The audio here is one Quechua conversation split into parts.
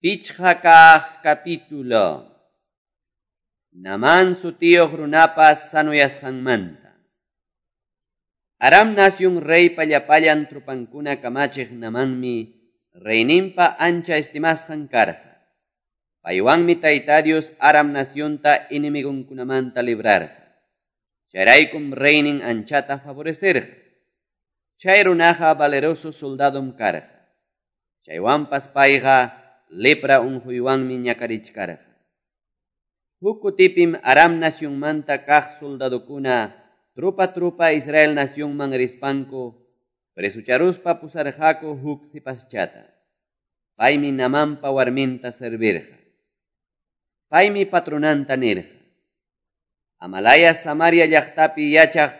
Pichqa kaq capítulo. Namán sutiyuq runapas sanuyasqanmanta. Aram nasyun reypa llapallan trupankuna kamachiq Namanmi reyninpa ancha estimasqan karqa. Paywanmi Tayta Dios Aram nasyunta enemigunkunamanta librarqa. Chayraykum reynin anchata favorecerqa. Chay runaqa valeroso soldadom karqa. Chaywanpas payqa lepra unquywanmi ñakarichkarqa. Huk kutipim Aram nasyunmanta kaq soldadokuna trupa trupa Israel nasyunman rispanku presucharuspa pusarqaku huk sipaschata. Paymi Namanpa warminta servirqa. Paymi patronanta nirqa: Amalaya Samaria llaqtapi yachaq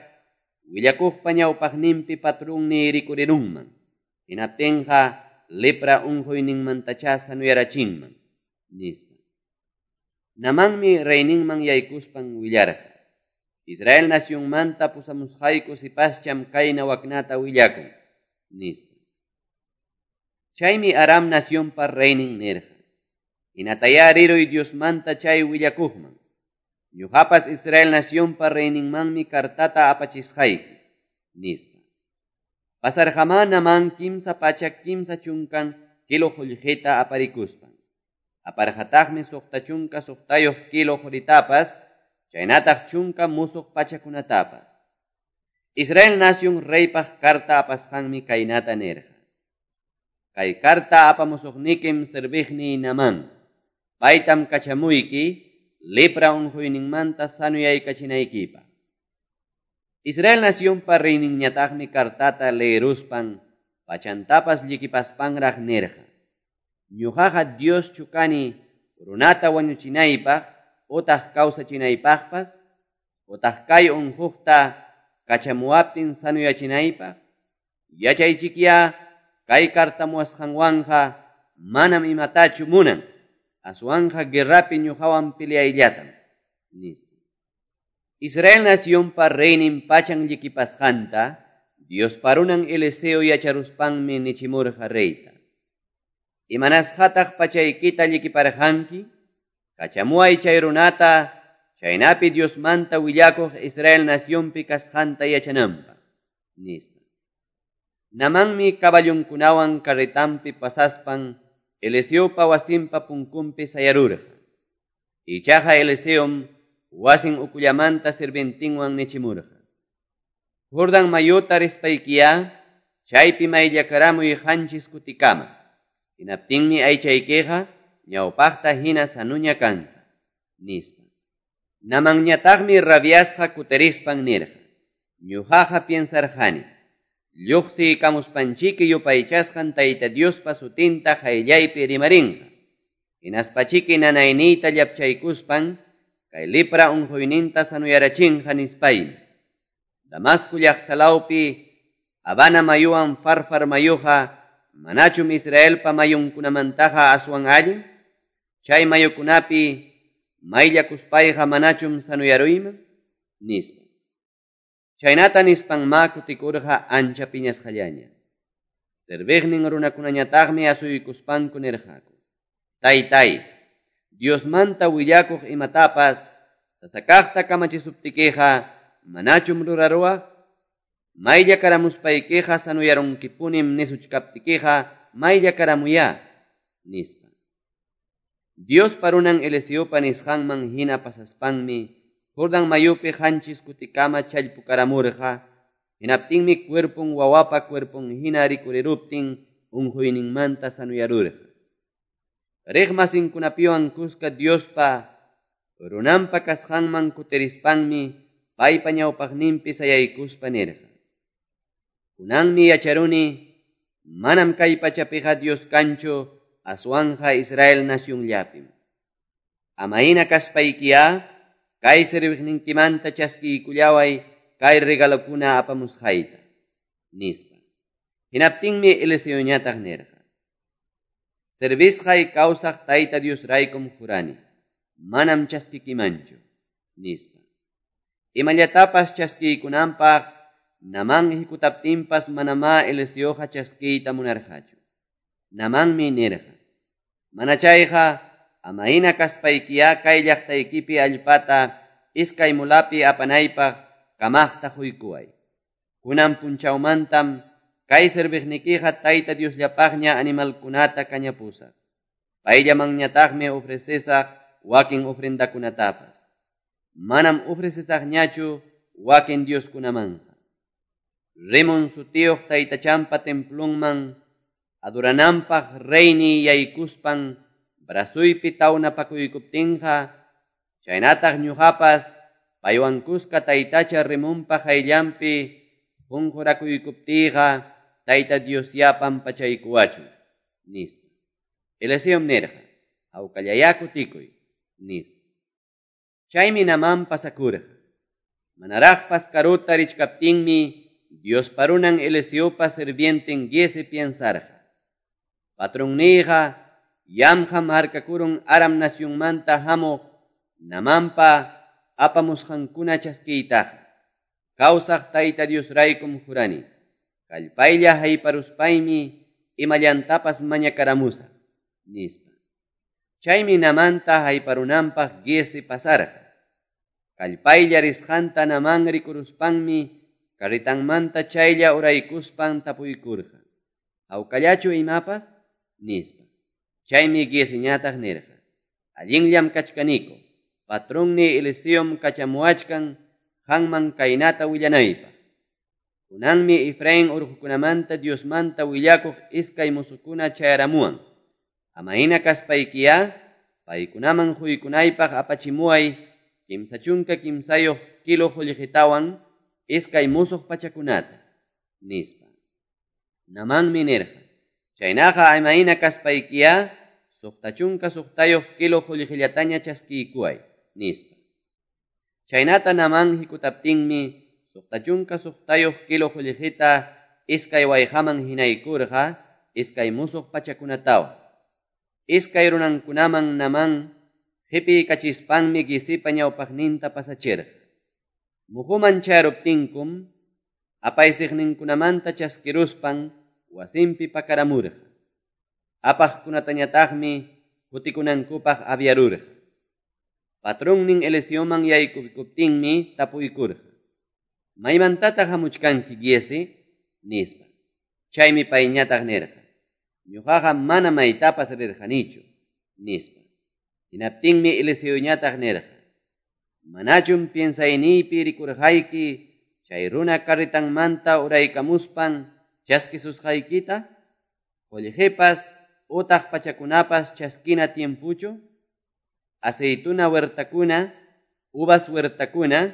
willakuqpa ñawpaqninpi patrunniy rikurirunman. Hinaptinqa lepra unquyninmantachá sanuyarachinman, nispa. Namanmi reyninman yaykuspan willarqa: Israel nasyunmanta pusamusqayku sipascham kayna waknata willakun, nispa. Chaymi Aram nasyunpa reynin nirqa: Hinatayá riruy Diosmanta chay willakuqman. Ñuqapas Israel nasyunpa reyninmanmi kartata apachisqayki, nispa. Pasarqamá Namán 330 kilo qullqita aparikuspan. Aparqataqmi 66 kilo quritapas, chaynataq 10 musuq pachakunatapas. Israel nasyun reypaq karta apasqanmi kaynata nirqa: Kay karta apamusuqnikim serviqniy Namán. Paytam kachamuyki lepra unquyninmanta sanuyaykachinaykipaq. Israel nasyunpa reyninñataqmi kartata leeruspan pachantapas llikipaspanraq nirqa: Ñuqaqa Dioschu kani runata wañuchinaypaq utaq kawsachinaypaqpas, utaq kay unquqta kachamuwaptin sanuyachinaypaq? Yachaychikyá kay kartamuwasqanwanqa manam imatachu munan, aswanqa guerrapi ñuqawan peleayllatam, nispa. Israel nasyunpa reynin pachan llikipasqanta Diospa runan Eliseo yacharuspanmi nichimurqa reyta: Imanasqataq pachaykita llikiparqanki? Kachamuway chay runata, chaynapi Diosmanta willakuq Israel nasyunpi kasqanta yachananpaq, nispa. Namanmi caballunkunawan carretanpi pasaspan Eliseopa wasinpa punkunpi sayarurqa. Ichaqa Eliseom wasin ukullamanta sirvientinwan nichimurqa: Jordan mayuta rispaykiyá, chaypi mayllakaramuy 7 kutikama. Hinaptinmi aychaykiqa ñawpaqta hina sanuña kanqa, nispa. Namanñataqmi rabiasqa kutirispan nirqa: Ñuqaqa piensarqani, lluqsiykamuspanchiki yupaychasqan Tayta Diospa sutinta qayllaypi rimarinqa. Hinaspachiki nanayniyta llapchaykuspan kay lepra unquyninta sanuyarachinqa nispaymi. Damasco llaqtalawpi Habana mayuwan Farfar mayuqa manachum Israelpa mayunkunamantaqa aswan allin? Chay mayukunapi mayllakuspayqa manachum sanuyaruyman, nispa. Chaynata nispanmá kutikurqa ancha piñasqallaña. Serviqnin runakunañataqmi asuykuspanku nirqaku: Taytay, Diosmanta willakuq imatapas sasakaqta kamachisuptikiqa manachum ruraruwaq? Mayllakaramuspaykiqa sanuyarunkipunim nisuchkaptikiqa mayllakaramuyá, nispa. Diospa runan Eliseopa nisqanman hina pasaspanmi Jordan mayupi 7 kutikama challpukaramurqa. Hinaptinmi cuerpon wawapa cuerpon hina rikuriruptin unquyninmanta sanuyarurqa. Riqmasinkunapiwan kuska Diospa runanpa kasqanman kutirispanmi paypa ñawpaqninpi sayaykuspa nirqa: Kunanmi yacharuni, manam kay pachapiqa Dios kanchu, aswanqa Israel nasyunllapim. Amayna kaspaykiyá, kay serviqninkimanta chaskiykullaway kay regalokuna apamusqayta, nispa. Hinaptinmi Eliseoñataq nirqa: Servisqay kawsaq Tayta Diosraykum jurani, manam chaskikimanchu, nispa. Imallatapas chaskiykunanpaq Namán hikutaptinpas manamá Eliseoqa chaskiyta munarqachu. Namanmi nirqa: Manachayqa amahina kaspaykiyá kay llaqtaykipi allpata iskay mulapi apanaypaq kamaqta quykuway. Kunan punchawmantam kay serviqnikiqa Tayta Diosllapaqña animalkunata kañapusaq. Payllamanñataqmi ofrecesaq wakin ofrendakunatapas. Manam ofrecesaqñachu wakin dioskunamanqa. Rimon sutiyuq taytachanpa templunman adurananpaq reyni yaykuspan brasuypi tawnapakuykuptinqa chaynataq ñuqapas paywan kuska taytacha Rimonpa qayllanpi qunqurakuykupptiyqa Tayta Diosyá pampachaykuwachun, nispa. Eliseom nirqa, hawkallayá kutikuy, nispa. Chaymi Naamán pasakurqa. Manaraqpas karuta richkaptinmi Diospa runan Eliseopa sirvienten Giezi piensarqa. Patronniyqa yamqam harkakurun Aram nacionmanta hamuq Naamanpa apamusqankuna chaskiytaqa. Kawsaq Tayta Diosraykum jurani. Kallpaylla hayparuspaymi imallantapas mañakaramusaq, nispa. Chaymi Naamanta hayparunanpaq Giezi pasarqa. Kallpaylla risqanta Naamán rikuruspanmi carretanmanta chaylla uraykuspan tapuykurqa. Hawkallachu imapas? Nispa. Chaymi Gieziñataq nirqa. Allinllam kachkaniko. Patronni Eliseom kachamuwachkan qanman kaynata willanaypaq. Kunanmi Efraín urqukunamanta Diosmanta willakuq iskay musukuna chayaramuwan. Amahina kaspaykiyá paykunaman quykunaypaq apachimuway 33 kilo qullqitawan iskay musuq pachakunata, nispa. Naamanmi nirqa, chaynaqa amahina kaspaykiyá 66 kilo qullqillataña chaskiykuway, nispa. Chaynata Naamán hikutaptinmi 66 kilo qullqita iskay wayqaman hinaykurqa iskay musuq pachakunatawan. Iskay runankunaman Naamán qipiykachispanmi Giezipa ñawpaqninta pasachirqa. Muhuman chayaruptinkum apaysiqninkunamanta chaskiruspan wasinpi pakaramurqa. Apaqkunatañataqmi kutikunankupaq aviarurqa. Patronnin Eliseoman yaykuptinmi tapuykurqa. Maymantataq hamuchkanki Giezi? Nispa. Chaymi payñataq nirqa. Ñuqaqa mana maytapas rirqanichu, nispa. Hinaptinmi Eliseoñataq nirqa. Manachum piensayniypi rikurqayki chay runa carretanmanta uraykamuspan chaskisusqaykita? Qullqipas utaq pachakunapas chaskina tiempuchu? Aceituna huertakuna, uvas huertakuna,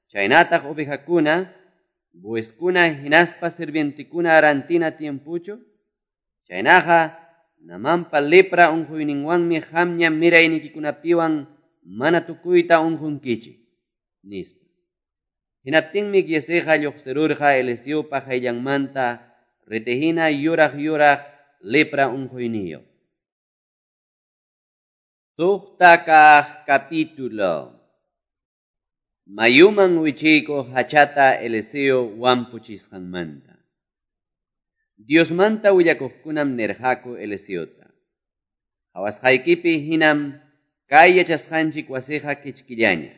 chaynataq ovejakuna, bueyskuna hinaspa sirvientekuna rantina tiempuchu? Chaynaqa Naamanpa lepra unquyninwanmi qamña miraynikikunapiwan mana tukuyta unqunkichik, nispa. Hinaptinmi Gieziqa lluqsirurqa Eliseopa qayllanmanta ritihina yuraq yuraq lepra unquyniyuq. 6 kaq capítulo. Mayuman wichiykuq hachata Eliseo wampuchisqanmanta. Diosmanta willakuqkunam nirqaku Eliseota. Qhawasqaykipi hinam kay yachasqanchik wasiqa kichkillaña.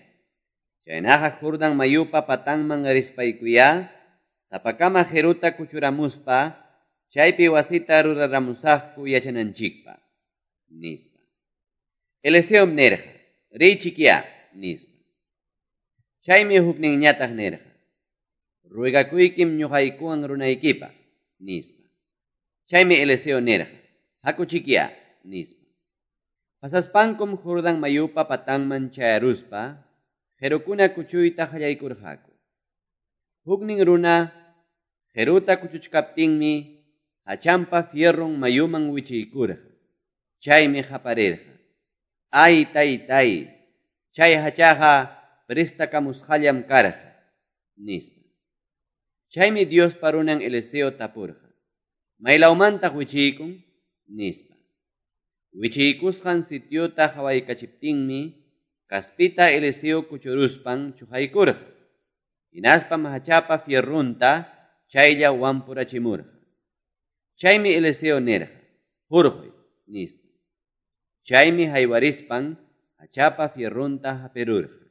Chaynaqa Jordán mayupa patanman rispaykuyá, sapakama qiruta kuchuramuspa, chaypi wasita ruraramusaqku yachananchikpaq, nispa. Eliseom nirqa, riychikyá, nispa. Chaymi hukninñataq nirqa, ruegakuykim ñuqaykuwan runaykipaq, nispa. Chaymi Eliseo nirqa, hakuchikyá, nispa. Pasaspankum Jordán mayupa patanman chayaruspa, qirukuna kuchuyta qallaykurqaku. Huknin runa qiruta kuchuchkaptinmi hachanpa fierron mayuman wichiykurqa. Chaymi qaparirqa. Ay taytay, chay hachaqa prestakamusqallam karqa, nispa. Chaymi Diospa runan Eliseo tapurqa. Maylawmantaq wichiykun? Nispa. Wichiykusqan sitiota qawaykachiptinmi kaspita Eliseo kuchuruspan chuqaykurqa. Hinaspam hachapa fierrunta chaylla wampurachimurqa. Chaymi Eliseo nirqa, hurquy, nispa. Chaymi haywarispan hachapa fierronta hapirurqa.